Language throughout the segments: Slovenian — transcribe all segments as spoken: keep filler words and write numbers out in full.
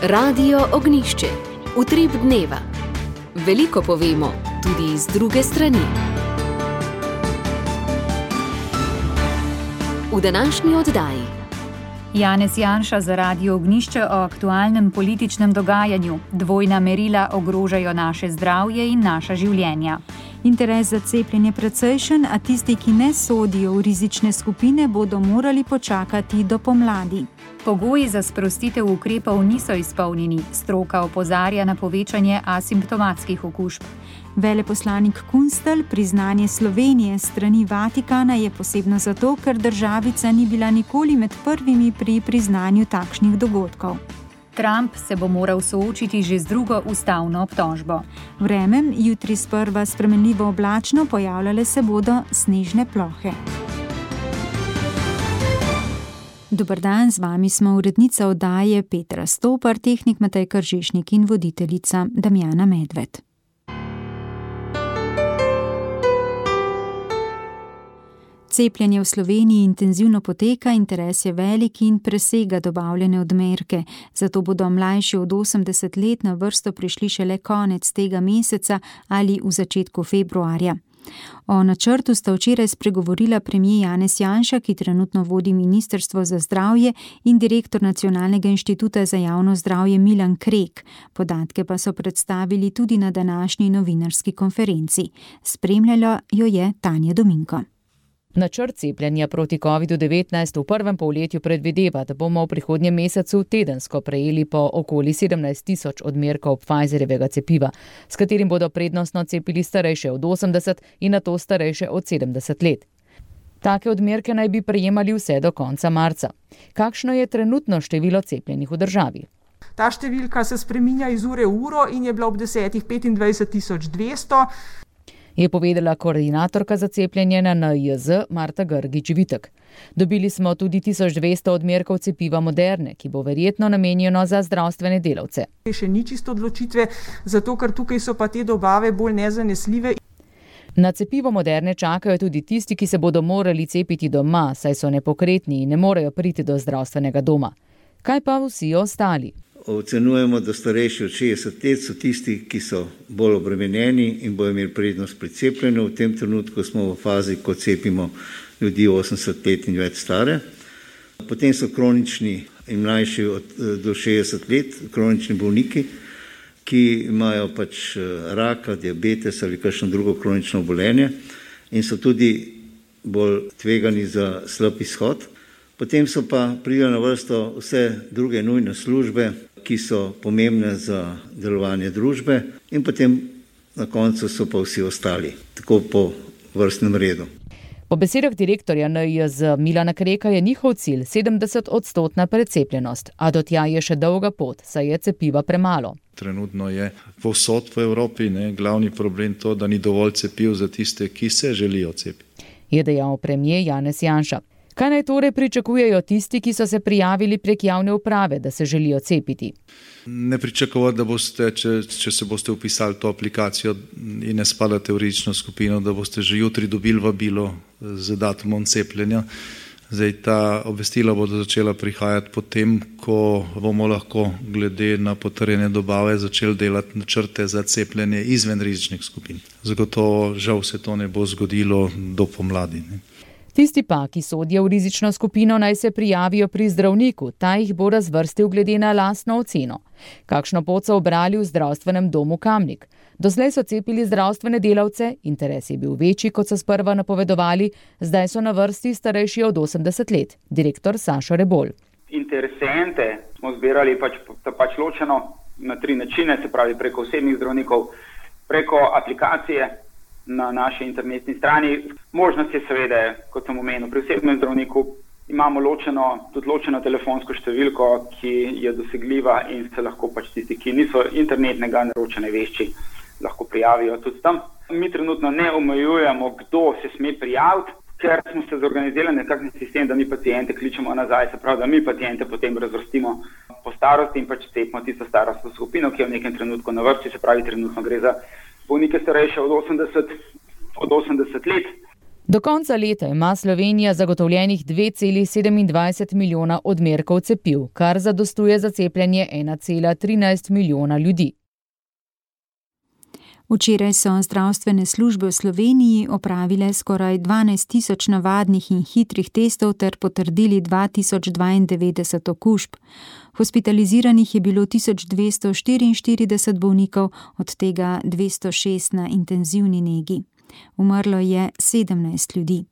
Radio Ognjišče. Utrip dneva. Veliko povemo, tudi iz druge strani. V današnji oddaji Janez Janša za Radio Ognjišče o aktualnem političnem dogajanju. Dvojna merila ogrožajo naše zdravje in naša življenja. Interes za cepljenje precejšen, a tisti, ki ne sodijo v rizične skupine, bodo morali počakati do pomladi. Pogoji za sprostitev ukrepov niso izpolnjeni. Stroka opozarja na povečanje asimptomatskih okužb. Veleposlanik Kunstelj priznanje Slovenije s strani Vatikana je posebno zato, ker državica ni bila nikoli med prvimi pri priznanju takšnih dogodkov. Trump se bo moral soočiti že z drugo ustavno obtožbo. Vreme, jutri sprva spremenljivo oblačno, pojavljale se bodo snežne plohe. Dober dan, z vami smo urednica oddaje Petra Stopar, tehnik Matej Kržišnik in voditeljica Damjana Medved. Cepljenje v Sloveniji intenzivno poteka, interes je velik in presega dobavljene odmerke. Zato bodo mlajši od osemdeset let na vrsto prišli šele konec tega meseca ali v začetku februarja. O načrtu sta včeraj spregovorila premier Janez Janša, ki trenutno vodi Ministrstvo za zdravje, in direktor Nacionalnega inštituta za javno zdravje Milan Krek. Podatke pa so predstavili tudi na današnji novinarski konferenci. Spremljala jo je Tanja Dominko. Načrt cepljenja proti kovidu devetnajst v prvem polletju predvideva, da bomo v prihodnjem mesecu tedensko prejeli po okoli sedemnajst tisoč odmerkov Pfizerjevega cepiva, s katerim bodo prednostno cepili starejše od osemdeset in nato starejše od sedemdeset let. Take odmerke naj bi prejemali vse do konca marca. Kakšno je trenutno število cepljenih v državi? Ta številka se spreminja iz ure v uro in je bila ob desetih petindvajset tisoč dvesto. Je povedala koordinatorka za cepljenje na N I J Marta Grgič-Vitek. Dobili smo tudi tisoč dvesto odmerkov cepiva Moderne, ki bo verjetno namenjeno za zdravstvene delavce. Še ni čisto odločitve, zato ker tukaj so pa te dobave bolj nezanesljive. Na cepivo Moderne čakajo tudi tisti, ki se bodo morali cepiti doma, saj so nepokretni in ne morejo priti do zdravstvenega doma. Kaj pa vsi ostali? Ocenujemo, da starejši od šestdeset let so tisti, ki so bolj obremenjeni in bodo imeli prednost pri cepljenju. V tem trenutku smo v fazi, ko cepimo ljudi osemdeset let in več stare. Potem so kronični in mlajši od, do šestdeset let, kronični bolniki, ki imajo pač raka, diabetes ali kakšno drugo kronično obolenje in so tudi bolj tvegani za slab izhod. Potem so pa prišle na vrsto vse druge nujne službe, ki so pomembne za delovanje družbe, in potem na koncu so pa vsi ostali, tako po vrstnem redu. Po besedah direktorja N I J Milana Kreka je njihov cilj sedemdeset odstotna precepljenost, a do tja je še dolga pot, saj je cepiva premalo. Trenutno je povsod po Evropi ne, glavni problem to, da ni dovolj cepiv za tiste, ki se želijo cepiti. Je dejal premier Janez Janša. Kaj naj torej pričakujejo tisti, ki so se prijavili prek javne uprave, da se želijo cepiti? Ne pričakovati, da boste, če, če se boste vpisali to aplikacijo in ne spadate v rizično skupino, da boste že jutri dobili vabilo z datumom cepljenja. Zdaj, ta obvestila bodo začela prihajati potem, ko bomo lahko glede na potrjene dobave začeli delati načrte za cepljenje izven rizičnih skupin. Zagotovo žal se to ne bo zgodilo do pomladi. Ne. Tisti pa, ki sodijo v rizično skupino, naj se prijavijo pri zdravniku, ta jih bo razvrstil glede na lastno oceno. Kakšno pot so obrali v zdravstvenem domu Kamnik? Doslej so cepili zdravstvene delavce, interes je bil večji, kot so sprva napovedovali, zdaj so na vrsti starejši od osemdeset let. Direktor Sašo Rebolj. Interesente smo zbirali pač, pač ločeno na tri načine, se pravi preko osebnih zdravnikov, preko aplikacije na naši internetni strani. Možnost je seveda, kot sem omenil, pri osebnem zdravniku imamo ločeno, tudi ločeno telefonsko številko, ki je dosegljiva in se lahko pač tisti, ki niso internetnega naročene vešči, lahko prijavijo tudi tam. Mi trenutno ne omejujemo, kdo se sme prijaviti, ker smo se zorganizirali nekakšen sistem, da mi pacijente kličemo nazaj, se pravi, da mi pacijente potem razvrstimo po starosti in pač cepimo tisto starostno skupino, ki je v nekem trenutku na vrsti, se pravi, trenutno gre za bolnike starejše od osemdeset, od osemdeset let. Do konca leta ima Slovenija zagotovljenih dve celi sedemindvajset milijona odmerkov cepiv, kar zadostuje za cepljenje ena cela trinajst milijona ljudi. Včeraj so zdravstvene službe v Sloveniji opravile skoraj dvanajst tisoč navadnih in hitrih testov ter potrdili dva tisoč dvaindevetdeset okužb. Hospitaliziranih je bilo tisoč dvesto štiriinštirideset bolnikov, od tega dvesto šest na intenzivni negi. Umrlo je sedemnajst ljudi.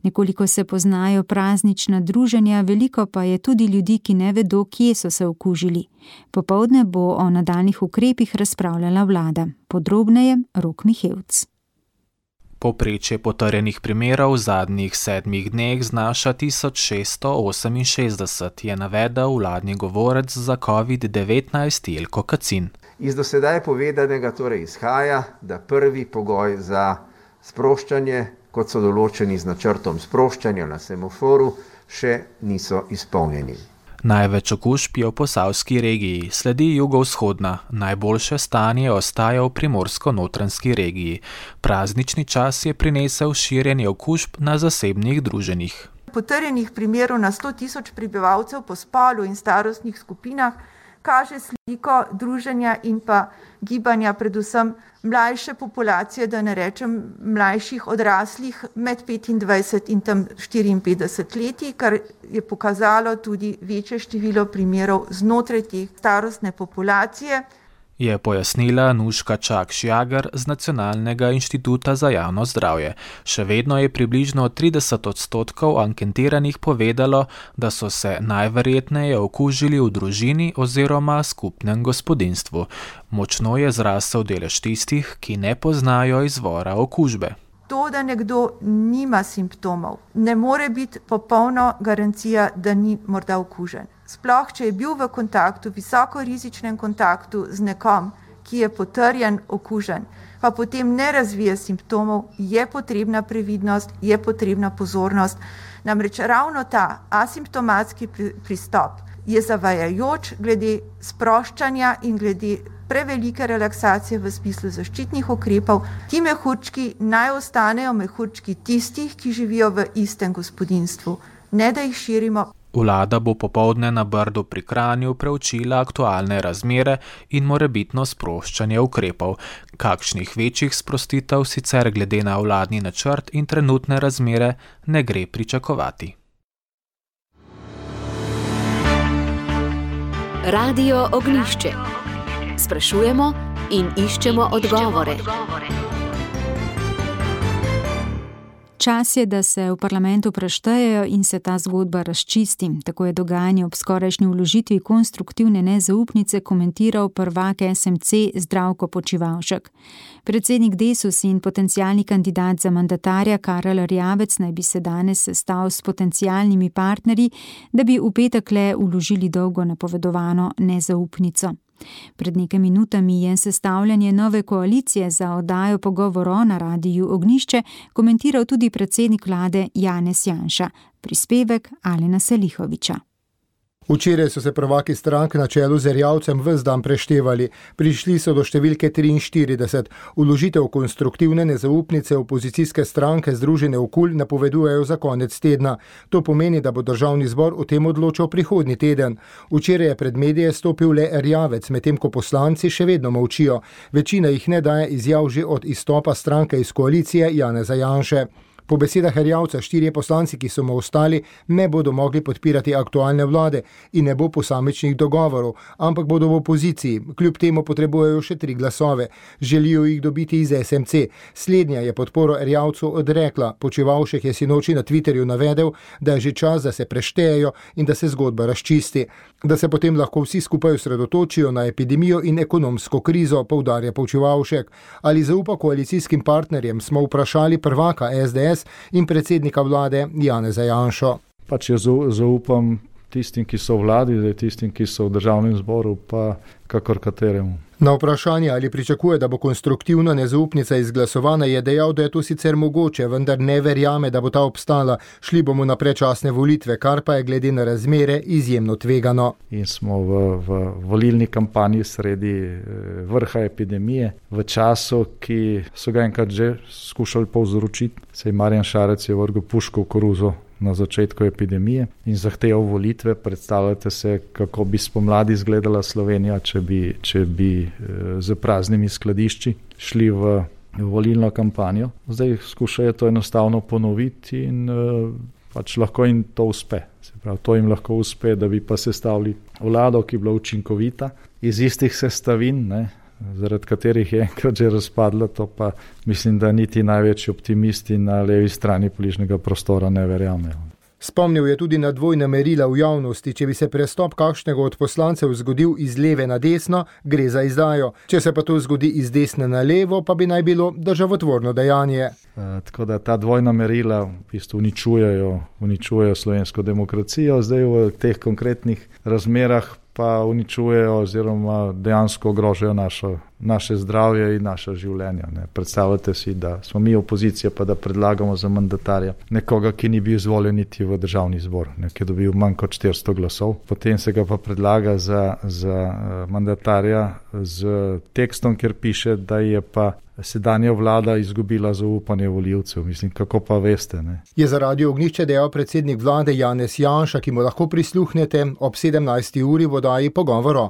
Nekoliko se poznajo praznična druženja, veliko pa je tudi ljudi, ki ne vedo, kje so se okužili. Popoldne bo o nadaljnjih ukrepih razpravljala vlada. Podrobneje Rok Mihevc. Povprečje potrjenih primerov v zadnjih sedmih dneh znaša tisoč šeststo oseminšestdeset, je navedel vladni govorec za covid devetnajst Jelko Kacin. Iz do sedaj povedanega torej izhaja, da prvi pogoj za sproščanje, kot so določeni z načrtom sproščanja na semaforu, še niso izpolnjeni. Največ okužb je v posavski regiji, sledi jugovzhodna, najboljše stanje ostaja v primorsko-notranjski regiji. Praznični čas je prinesel širjenje okužb na zasebnih druženjih. Potrjenih primerov na sto tisoč prebivalcev po spolu in starostnih skupinah kaže sliko druženja in pa gibanja predvsem mlajše populacije, da ne rečem mlajših odraslih med petindvajset in tam štiriinpetdeset leti, kar je pokazalo tudi večje število primerov znotraj te starostne populacije. Je pojasnila Nuška Čak-Šjager z Nacionalnega inštituta za javno zdravje. Še vedno je približno trideset odstotkov anketiranih povedalo, da so se najverjetneje okužili v družini oziroma skupnem gospodinjstvu. Močno je zrasel delež tistih, ki ne poznajo izvora okužbe. To, da nekdo nima simptomov, ne more biti popolna garancija, da ni morda okužen. Sploh, če je bil v kontaktu, visokorizičnem kontaktu z nekom, ki je potrjen okužen, pa potem ne razvije simptomov, je potrebna previdnost, je potrebna pozornost. Namreč ravno ta asimptomatski pristop je zavajajoč glede sproščanja in glede prevelike relaksacije v smislu zaščitnih ukrepov. Ti mehurčki naj ostanejo mehurčki tistih, ki živijo v istem gospodinjstvu, ne da jih širimo. Vlada bo popoldne na Brdu pri Kranju preučila aktualne razmere in morebitno sproščanje ukrepov. Kakšnih večjih sprostitev sicer glede na vladni načrt in trenutne razmere ne gre pričakovati. Radio Ognjišče. Sprašujemo in iščemo odgovore. Čas je, da se v parlamentu preštejejo in se ta zgodba razčisti. Tako je dogajanje ob skorajšnji vložitvi konstruktivne nezaupnice komentiral prvak es em ce Zdravko Počivalšek. Predsednik Desus in potencialni kandidat za mandatarja Karel Erjavec naj bi se danes sestal s potencialnimi partnerji, da bi v petek le vložili dolgo napovedovano nezaupnico. Pred nekaj minutami je sestavljanje nove koalicije za oddajo pogovorov na Radiu Ognjišče komentiral tudi predsednik vlade Janez Janša. Prispevek Alena Selihoviča. Včeraj so se prvaki strank na čelu z Erjavcem ves dan preštevali. Prišli so do številke triinštirideset. Vložitev konstruktivne nezaupnice opozicijske stranke Združene v KUL napovedujejo za konec tedna. To pomeni, da bo državni zbor o tem odločal prihodnji teden. Včeraj je pred medije stopil le Erjavec, medtem ko poslanci še vedno molčijo. Večina jih ne daje izjav že od izstopa stranke iz koalicije Janeza Janše. Po besedah Erjavca štirje poslanci, ki so mu ostali, ne bodo mogli podpirati aktualne vlade in ne bo posamičnih dogovorov, ampak bodo v opoziciji. Kljub temu potrebujejo še tri glasove. Želijo jih dobiti iz es em ce. Slednja je podporo Erjavcu odrekla. Počivalšek je sinoči na Twitterju navedel, da je že čas, da se preštejejo in da se zgodba razčisti. Da se potem lahko vsi skupaj osredotočijo na epidemijo in ekonomsko krizo, poudarja Počivalšek. Ali zaupa koalicijskim partnerjem, smo vprašali prvaka es de es in predsednika vlade Janeza Janšo. Pač jaz zaupam tistim, ki so v vladi, tistim, ki so v državnem zboru, pa kakor kateremu. Na vprašanje, ali pričakuje, da bo konstruktivna nezaupnica izglasovana, je dejal, da je to sicer mogoče, vendar ne verjame, da bo ta obstala. Šli bomo na predčasne volitve, kar pa je glede na razmere izjemno tvegano. In smo v, v volilni kampanji sredi vrha epidemije, v času, ki so ga enkrat že skušali povzročiti. Sej Marjan Šarec je vrgel puško v koruzo na začetku epidemije in zahteval volitve. Predstavljate se, kako bi spomladi izgledala Slovenija, če bi, če bi z praznimi skladišči šli v volilno kampanjo. Zdaj skušajo to enostavno ponoviti in pač lahko jim to uspe. Se pravi, to jim lahko uspe, da bi pa sestavili vlado, ki je bila učinkovita iz istih sestavin, ne, zaradi katerih je enkrat že razpadla, to pa mislim, da niti največji optimisti na levi strani političnega prostora ne verjamejo. Spomnil je tudi na dvojna merila v javnosti. Če bi se prestop kakšnega od poslancev zgodil iz leve na desno, gre za izdajo. Če se pa to zgodi iz desne na levo, pa bi naj bilo državotvorno dejanje. E, tako da ta dvojna merila v bistvu uničujejo, uničujejo slovensko demokracijo, zdaj v teh konkretnih razmerah pa uničujejo oziroma dejansko ogrožajo našo, naše zdravje in naše življenja. Ne. Predstavljate si, da smo mi opozicija, pa da predlagamo za mandatarja nekoga, ki ni bil izvoljen niti v državni zbor, ne, ki je dobil manj kot štiristo glasov. Potem se ga pa predlaga za, za mandatarja z tekstom, kjer piše, da je pa sedanja vlada izgubila zaupanje volivcev. Mislim, kako pa veste, ne? Je za Radio Ognjišče dejal predsednik vlade Janez Janša, ki mu lahko prisluhnete ob sedemnajsti uri v oddaji Pogovoro.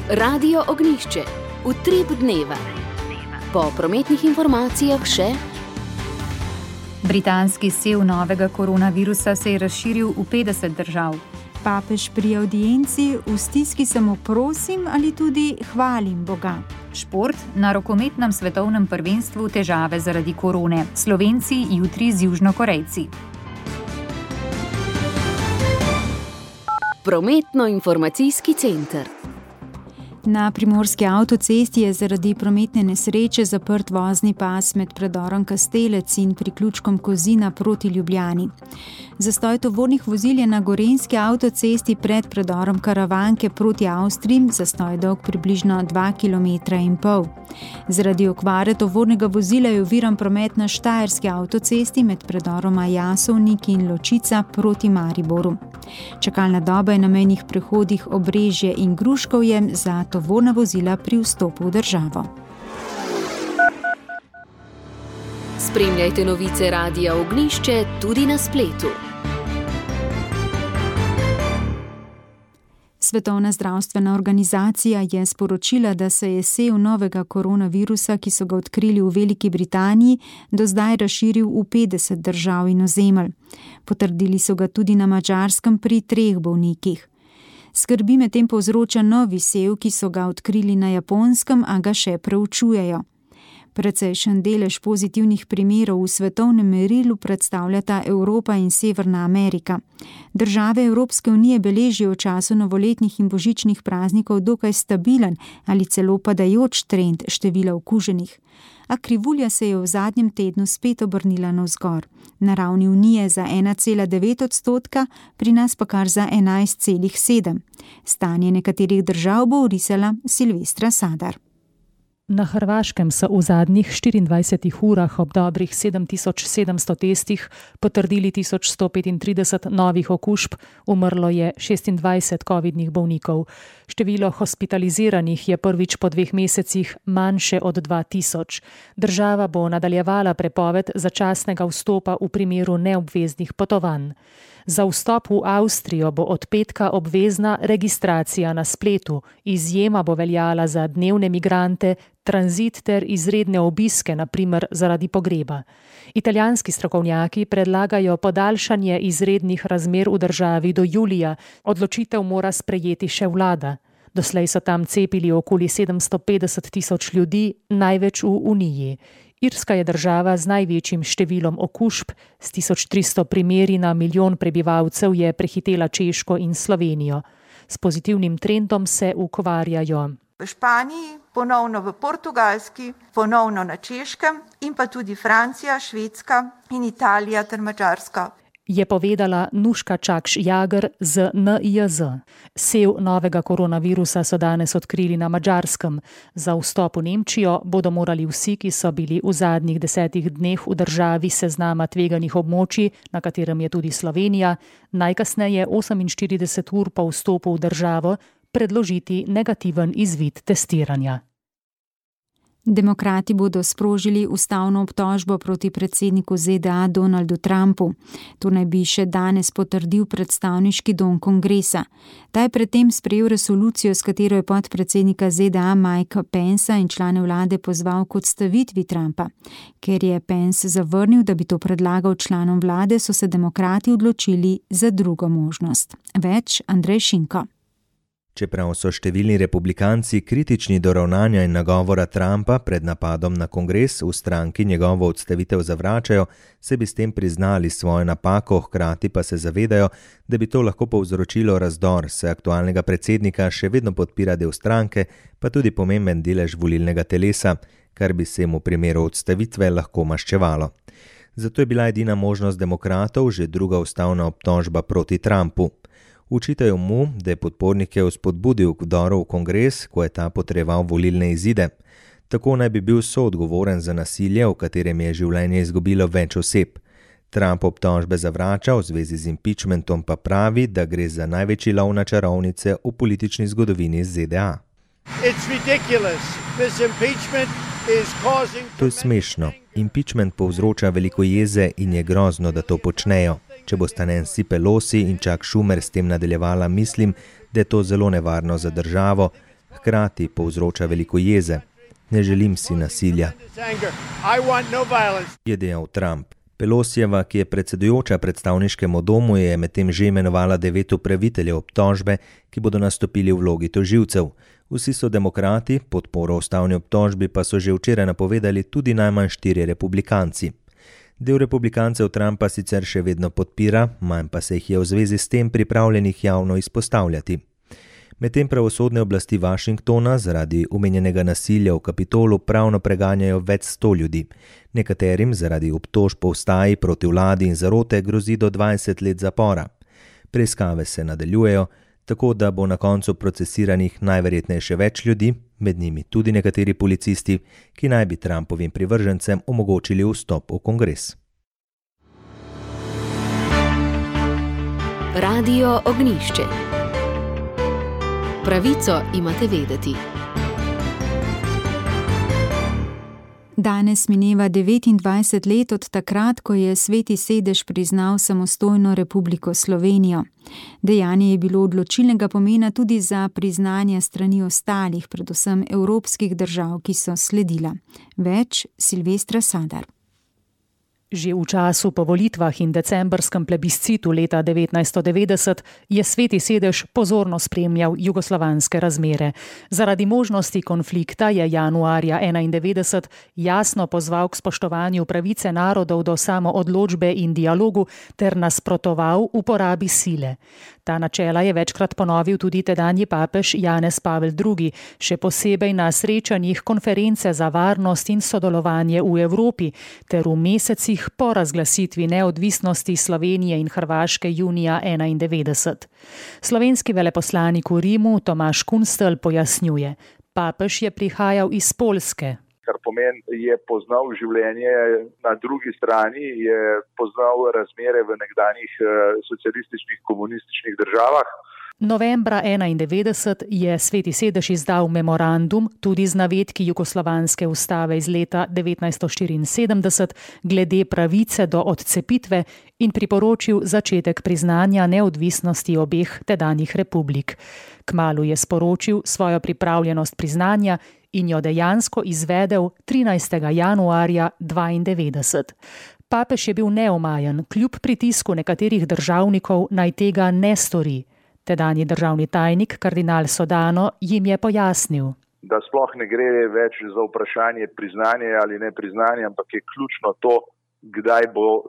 Radio Ognjišče. Utrip dneva. Po prometnih informacijah še britanski sev novega koronavirusa se je razširil v petdeset držav. Papež pri avdienci v stiski samo prosim ali tudi hvalim Boga. Šport, na rokometnem svetovnem prvenstvu težave zaradi korone. Slovenci jutri z Južnokorejci. Prometno-informacijski center. Na primorski avtocesti je zaradi prometne nesreče zaprt vozni pas med predorom Kastelec in priključkom Kozina proti Ljubljani. Zastoj tovornih vozil je na gorenjski avtocesti pred predorom Karavanke proti Avstriji, zastoj dolg približno dva kilometra in pol. Zaradi okvare tovornega vozila je oviran promet na štajerski avtocesti med predoroma Jasovnik in Ločica proti Mariboru. Čakalna doba je na mejnih prehodih Obrežje in Gruškovje za tovorna vozila pri vstopu v državo. Spremljajte novice Radia Ognjišče tudi na spletu. Svetovna zdravstvena organizacija je sporočila, da se je sev novega koronavirusa, ki so ga odkrili v Veliki Britaniji, do zdaj razširil v petdeset držav in ozemelj. Potrdili so ga tudi na Madžarskem pri treh bolnikih. Skrbi medtem povzroča novi sev, ki so ga odkrili na Japonskem, a ga še preučujejo. Precejšen delež pozitivnih primerov v svetovnem merilu predstavljata Evropa in Severna Amerika. Države Evropske unije beležijo v času novoletnih in božičnih praznikov dokaj stabilen ali celo padajoč trend števila okuženih. A krivulja se je v zadnjem tednu spet obrnila navzgor. Na ravni Unije za ena cela devet odstotka, pri nas pa kar za enajst celih sedem. Stanje nekaterih držav bo orisala Silvestra Sadar. Na Hrvaškem so v zadnjih štiriindvajsetih urah ob dobrih sedem tisoč sedemsto testih potrdili tisoč sto petintrideset novih okužb, umrlo je šestindvajset covidnih bolnikov. Število hospitaliziranih je prvič po dveh mesecih manjše od dva tisoč. Država bo nadaljevala prepoved začasnega vstopa v primeru neobveznih potovanj. Za vstop v Avstrijo bo od petka obvezna registracija na spletu, izjema bo veljala za dnevne migrante, tranzit ter izredne obiske, na primer zaradi pogreba. Italijanski strokovnjaki predlagajo podaljšanje izrednih razmer v državi do julija, odločitev mora sprejeti še vlada. Doslej so tam cepili okoli sedemsto petdeset tisoč ljudi, največ v Uniji. Irska je država z največjim številom okužb, s tisoč tristo primeri na milijon prebivalcev je prehitela Češko in Slovenijo. S pozitivnim trendom se ukvarjajo v Španiji, ponovno v Portugalski, ponovno na Češkem in pa tudi Francija, Švedska in Italija ter Madžarska. Je povedala Nuška Čakš-Jager z N I Z. Sev novega koronavirusa so danes odkrili na Madžarskem. Za vstop v Nemčijo bodo morali vsi, ki so bili v zadnjih desetih dneh v državi seznama tveganih območij, na katerem je tudi Slovenija, najkasneje oseminštirideset ur po vstopu v državo predložiti negativen izvid testiranja. Demokrati bodo sprožili ustavno obtožbo proti predsedniku Z D A Donaldu Trumpu. To naj bi še danes potrdil predstavniški dom kongresa. Ta je predtem sprejel resolucijo, s katero je podpredsednika Z D A Mike Pensa in člane vlade pozval k odstavitvi Trumpa. Ker je Pence zavrnil, da bi to predlagal članom vlade, so se demokrati odločili za drugo možnost. Več Andrej Šinko. Čeprav so številni republikanci kritični do ravnanja in nagovora Trumpa pred napadom na kongres, v stranki njegovo odstavitev zavračajo, se bi s tem priznali svojo napako, hkrati pa se zavedajo, da bi to lahko povzročilo razdor, saj aktualnega predsednika še vedno podpira del stranke, pa tudi pomemben delež volilnega telesa, kar bi se mu v primeru odstavitve lahko maščevalo. Zato je bila edina možnost demokratov že druga ustavna obtožba proti Trumpu. Učitajo mu, da je podpornike vzpodbudil k vdoru v kongres, ko je ta potreboval volilne izide. Tako naj bi bil soodgovoren za nasilje, v katerem je življenje izgubilo več oseb. Trump obtožbe zavrača, v zvezi z impeachmentom pa pravi, da gre za največji lov na čarovnice v politični zgodovini Z D A. To je smešno. Impeachment povzroča veliko jeze in je grozno, da to počnejo. Če bosta Nancy Pelosi in Chuck Schumer s tem nadaljevala, mislim, da je to zelo nevarno za državo, hkrati povzroča veliko jeze. Ne želim si nasilja, je dejal Trump. Pelosijeva, ki je predsedujoča predstavniškemu domu, je medtem že imenovala devet upraviteljev obtožbe, ki bodo nastopili v vlogi tožilcev. Vsi so demokrati, podporo ustavni obtožbi pa so že včeraj napovedali tudi najmanj štiri republikanci. Del republikancev Trumpa sicer še vedno podpira, manj pa se jih je v zvezi s tem pripravljenih javno izpostavljati. Medtem pravosodne oblasti Washingtona zaradi omenjenega nasilja v Kapitolu pravno preganjajo več sto ljudi. Nekaterim zaradi obtožb o vstaji proti vladi in zarote grozi do dvajset let zapora. Preiskave se nadaljujejo, tako da bo na koncu procesiranih najverjetneje še več ljudi, med njimi tudi nekateri policisti, ki naj bi Trumpovim privržencem omogočili vstop v kongres. Radio Ognjišče. Pravico imate vedeti. Danes mineva devetindvajset let od takrat, ko je Sveti sedež priznal samostojno Republiko Slovenijo. Dejanje je bilo odločilnega pomena tudi za priznanje strani ostalih, predvsem evropskih držav, ki so sledila. Več Silvestra Sadar. Že v času po volitvah in decembrskem plebiscitu leta devetnajststo devetdeset je Sveti sedež pozorno spremljal jugoslovanske razmere. Zaradi možnosti konflikta je januarja enaindevetdeset jasno pozval k spoštovanju pravice narodov do samoodločbe in dialogu ter nasprotoval uporabi sile. Ta načela je večkrat ponovil tudi tedanji papež Janez Pavel drugi, še posebej na srečanjih konference za varnost in sodelovanje v Evropi ter v mesecih po razglasitvi neodvisnosti Slovenije in Hrvaške junija enaindevetdeset. Slovenski veleposlanik v Rimu Tomaž Kunstelj pojasnjuje: papež je prihajal iz Poljske. Kar pomeni, je poznal življenje na drugi strani, je poznal razmere v nekdanjih socialističnih, komunističnih državah. Novembra enaindevetdeset je Sveti sedež izdal memorandum tudi z navedki jugoslovanske ustave iz leta devetnajststo štiriinsedemdeset glede pravice do odcepitve in priporočil začetek priznanja neodvisnosti obeh tedanjih republik. Kmalu je sporočil svojo pripravljenost priznanja in jo dejansko izvedel trinajstega januarja dvaindevetdeset. Papež je bil neomajen, kljub pritisku nekaterih državnikov naj tega ne stori. Tedanji državni tajnik, kardinal Sodano, jim je pojasnil, da sploh ne gre več za vprašanje priznanja ali ne priznanja, ampak je ključno to, kdaj bo uh,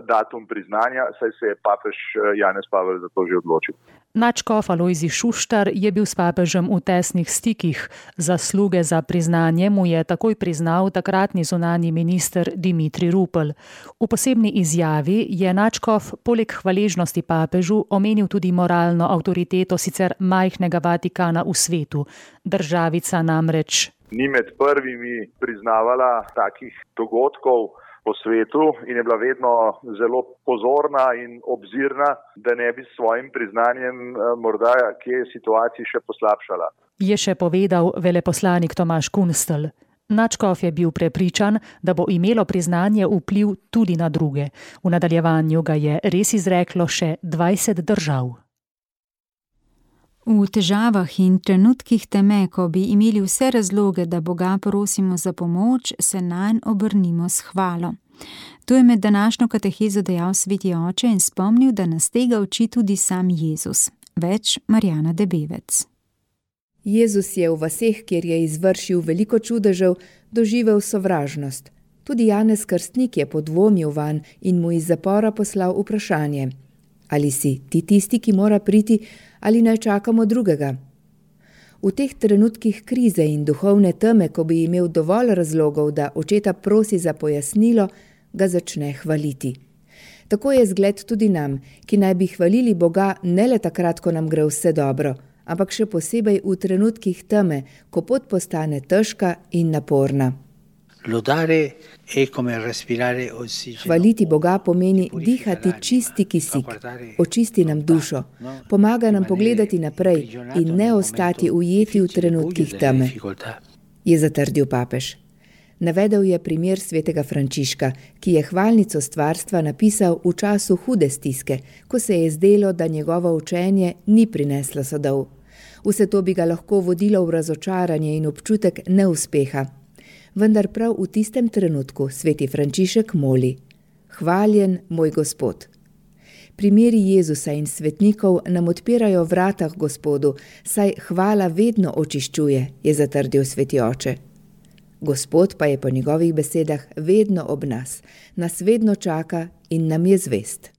datum priznanja, saj se je papež Janez Pavel za to že odločil. Nadškof Alojzij Šuštar je bil s papežem v tesnih stikih. Zasluge za priznanje mu je takoj priznal takratni zunanji minister Dimitrij Rupel. V posebni izjavi je nadškof poleg hvaležnosti papežu omenil tudi moralno avtoriteto sicer majhnega Vatikana v svetu. Državica namreč ni med prvimi priznavala takih dogodkov po svetu in je bila vedno zelo pozorna in obzirna, da ne bi s svojim priznanjem morda kje situaciji še poslabšala. Je še povedal veleposlanik Tomaž Kunstelj. Nadškof je bil prepričan, da bo imelo priznanje vpliv tudi na druge. V nadaljevanju ga je res izreklo še dvajset držav. V težavah in trenutkih teme, ko bi imeli vse razloge, da Boga prosimo za pomoč, se nanj obrnimo s hvalo. To je med današnjo katehezo dejal sveti oče in spomnil, da nas tega uči tudi sam Jezus. Več Marjana Debevec. Jezus je v vaseh, kjer je izvršil veliko čudežev, doživel sovražnost. Tudi Janez Krstnik je podvomil vanj in mu iz zapora poslal vprašanje: ali si ti tisti, ki mora priti, ali naj čakamo drugega? V teh trenutkih krize in duhovne teme, ko bi imel dovolj razlogov, da očeta prosi za pojasnilo, ga začne hvaliti. Tako je zgled tudi nam, ki naj bi hvalili Boga ne le takrat, ko nam gre vse dobro, ampak še posebej v trenutkih teme, ko pot postane težka in naporna. Hvaliti Boga pomeni dihati čisti kisik, očisti nam dušo, pomaga nam pogledati naprej in ne ostati ujeti v trenutkih teme, je zatrdil papež. Navedel je primer svetega Frančiška, ki je hvalnico stvarstva napisal v času hude stiske, ko se je zdelo, da njegovo učenje ni prineslo sadov. Vse to bi ga lahko vodilo v razočaranje in občutek neuspeha. Vendar prav v tistem trenutku sveti Frančišek moli: hvaljen moj Gospod. Primeri Jezusa in svetnikov nam odpirajo vrata k Gospodu, saj hvala vedno očiščuje, je zatrdil sveti oče. Gospod pa je po njegovih besedah vedno ob nas, nas vedno čaka in nam je zvest.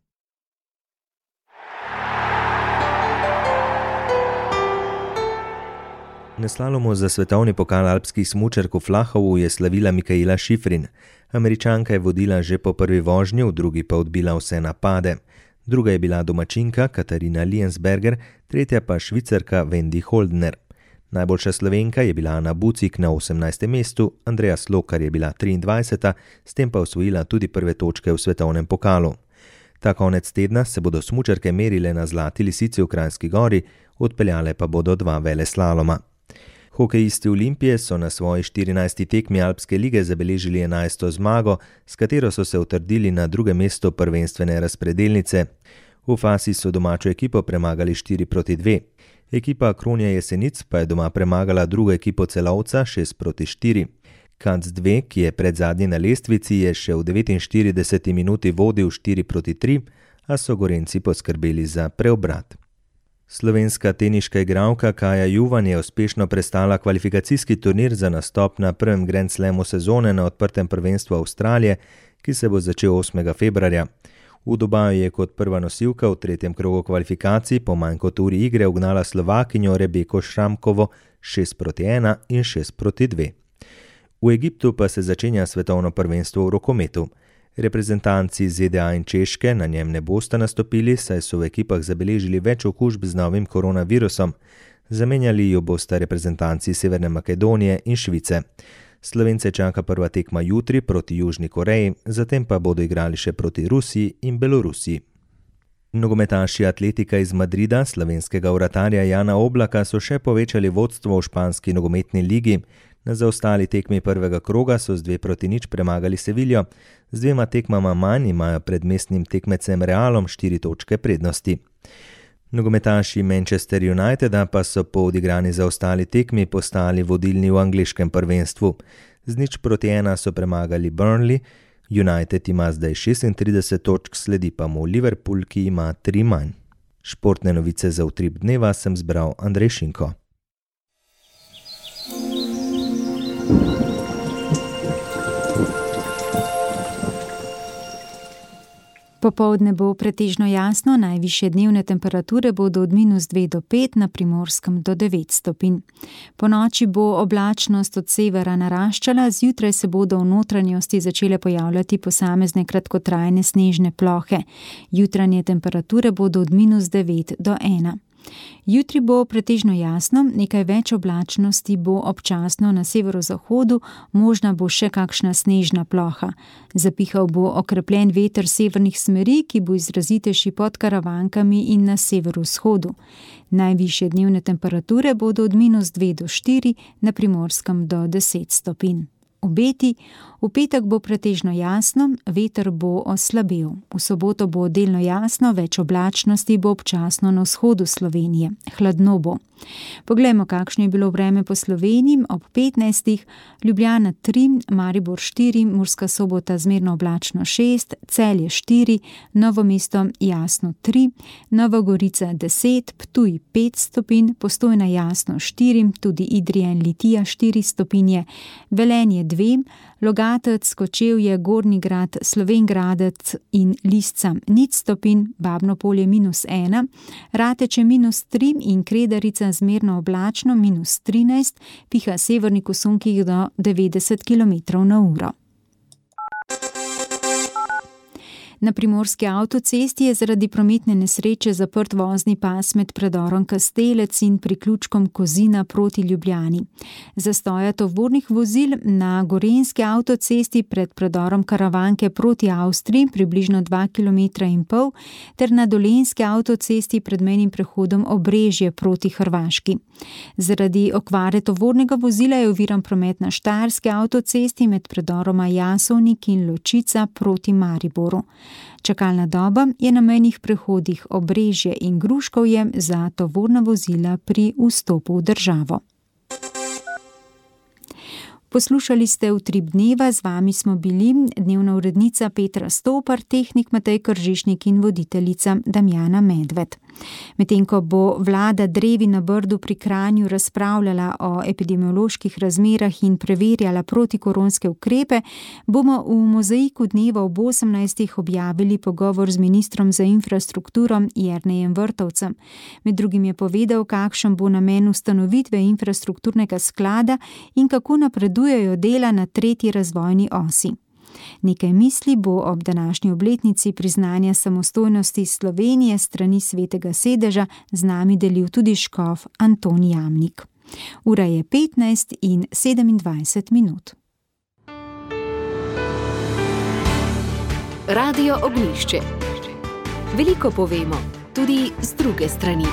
Na slalomu za svetovni pokal alpskih smučark v Flahovu je slavila Mikaela Šifrin. Američanka je vodila že po prvi vožnji, v drugi pa odbila vse napade. Druga je bila domačinka Katarina Liensberger, tretja pa Švicarka Wendy Holdner. Najboljša Slovenka je bila Ana Bucik na osemnajstem mestu, Andreja Slokar je bila triindvajseta, s tem pa osvojila tudi prve točke v svetovnem pokalu. Ta konec tedna se bodo smučarke merile na Zlati lisici v Kranjski Gori, odpeljale pa bodo dva veleslaloma. Hokejisti Olimpije so na svoji štirinajsti tekmi Alpske lige zabeležili enajsto zmago, s katero so se utrdili na drugem mestu prvenstvene razpredelnice. V Fasi so domačo ekipo premagali štiri proti dve. Ekipa Kronja Jesenic pa je doma premagala drugo ekipo Celovca šest proti štiri. Kac dva, ki je predzadnji na lestvici, je še v devetinštirideseti minuti vodil štiri proti tri, a so Gorenci poskrbeli za preobrat. Slovenska teniška igralka Kaja Juvan je uspešno prestala kvalifikacijski turnir za nastop na prvem Grand Slamu sezone na odprtem prvenstvu Avstralije, ki se bo začel osmega februarja. V Dubaju je kot prva nosilka v tretjem krogu kvalifikacij po manj kot uri igre ugnala Slovakinjo Rebeko Šramkovo šest proti ena in šest proti dve. V Egiptu pa se začenja svetovno prvenstvo v rokometu. Reprezentanci Z D A in Češke na njem ne bosta nastopili, saj so v ekipah zabeležili več okužb z novim koronavirusom. Zamenjali jo bosta reprezentanci Severne Makedonije in Švice. Slovence čaka prva tekma jutri proti Južni Koreji, zatem pa bodo igrali še proti Rusiji in Belorusiji. Nogometaši Atletika iz Madrida, slovenskega vratarja Jana Oblaka, so še povečali vodstvo v španski nogometni ligi. Na zaostali tekmi prvega kroga so z dve proti nič premagali Seviljo, z dvema tekmama manj imajo pred mestnim tekmecem Realom štiri točke prednosti. Nogometaši Manchester Uniteda pa so po odigrani zaostali tekmi postali vodilni v angleškem prvenstvu. Z nič proti ena so premagali Burnley, United ima zdaj šestintrideset točk, sledi pa mu Liverpool, ki ima tri manj. Športne novice za utrip dneva sem zbral Andrej Šinko. Po Popoldne bo pretežno jasno, najvišje dnevne temperature bodo od minus dve do pet, na Primorskem do devet stopinj. Po noči bo oblačnost od severa naraščala, zjutraj se bodo v notranjosti začele pojavljati posamezne kratkotrajne snežne plohe. Jutranje temperature bodo od minus devet do ena. Jutri bo pretežno jasno, nekaj več oblačnosti bo občasno na severozahodu, možna bo še kakšna snežna ploha. Zapihal bo okrepljen veter severnih smeri, ki bo izrazitejši pod Karavankami in na severovzhodu. Najvišje dnevne temperature bodo od minus dve do štiri, na Primorskem do deset stopinj. Obeti, v petek bo pretežno jasno, veter bo oslabel. V soboto bo delno jasno, več oblačnosti bo občasno na vzhodu Slovenije. Hladno bo. Poglejmo, kakšno je bilo vreme po Sloveniji. Ob petnajstih Ljubljana tri, Maribor štiri, Murska Sobota zmerno oblačno šest, Celje štiri, Novo mesto jasno tri, Nova Gorica deset, Ptuj pet stopinj, Postojna jasno štiri, tudi Idrija in Litija štiri stopinje, Velenje dve, Logatec, Kočevje, Gornji Grad, Slovenj Gradec in Lisca nič stopinj, Babno Polje minus ena, Rateče minus tri in Kredarica zmerno oblačno minus trinajst, piha severnik v sunkih do devetdeset kilometrov na uro. Na primorski avtocesti je zaradi prometne nesreče zaprt vozni pas med predorom Kastelec in priključkom Kozina proti Ljubljani. Zastoja tovornih vozil na gorenjski avtocesti pred predorom Karavanke proti Avstriji približno dva kilometra in pol ter na dolenjski avtocesti pred mejnim prehodom Obrežje proti Hrvaški. Zaradi okvare tovornega vozila je oviran promet na štajerski avtocesti med predoroma Jasovnik in Ločica proti Mariboru. Čakalna doba je na mejnih prehodih Obrežje in Gruškovje za tovorna vozila pri vstopu v državo. Poslušali ste Utrip dneva, z vami smo bili dnevna urednica Petra Stopar, tehnik Matej Kržišnik in voditeljica Damjana Medved. Medtem ko bo vlada drevi na Brdu pri Kranju razpravljala o epidemioloških razmerah in preverjala protikoronske ukrepe, bomo v Mozaiku dneva ob osemnajstih objavili pogovor z ministrom za infrastrukturo Jernejem Vrtovcem. Med drugim je povedal, kakšen bo namen ustanovitve infrastrukturnega sklada in kako napredujejo dela na tretji razvojni osi. Nekaj misli bo ob današnji obletnici priznanja samostojnosti Slovenije strani Svetega sedeža z nami delil tudi škof Anton Jamnik. Ura je petnajst in sedemindvajset minut. Radio Ognjišče. Veliko povemo, tudi z druge strani.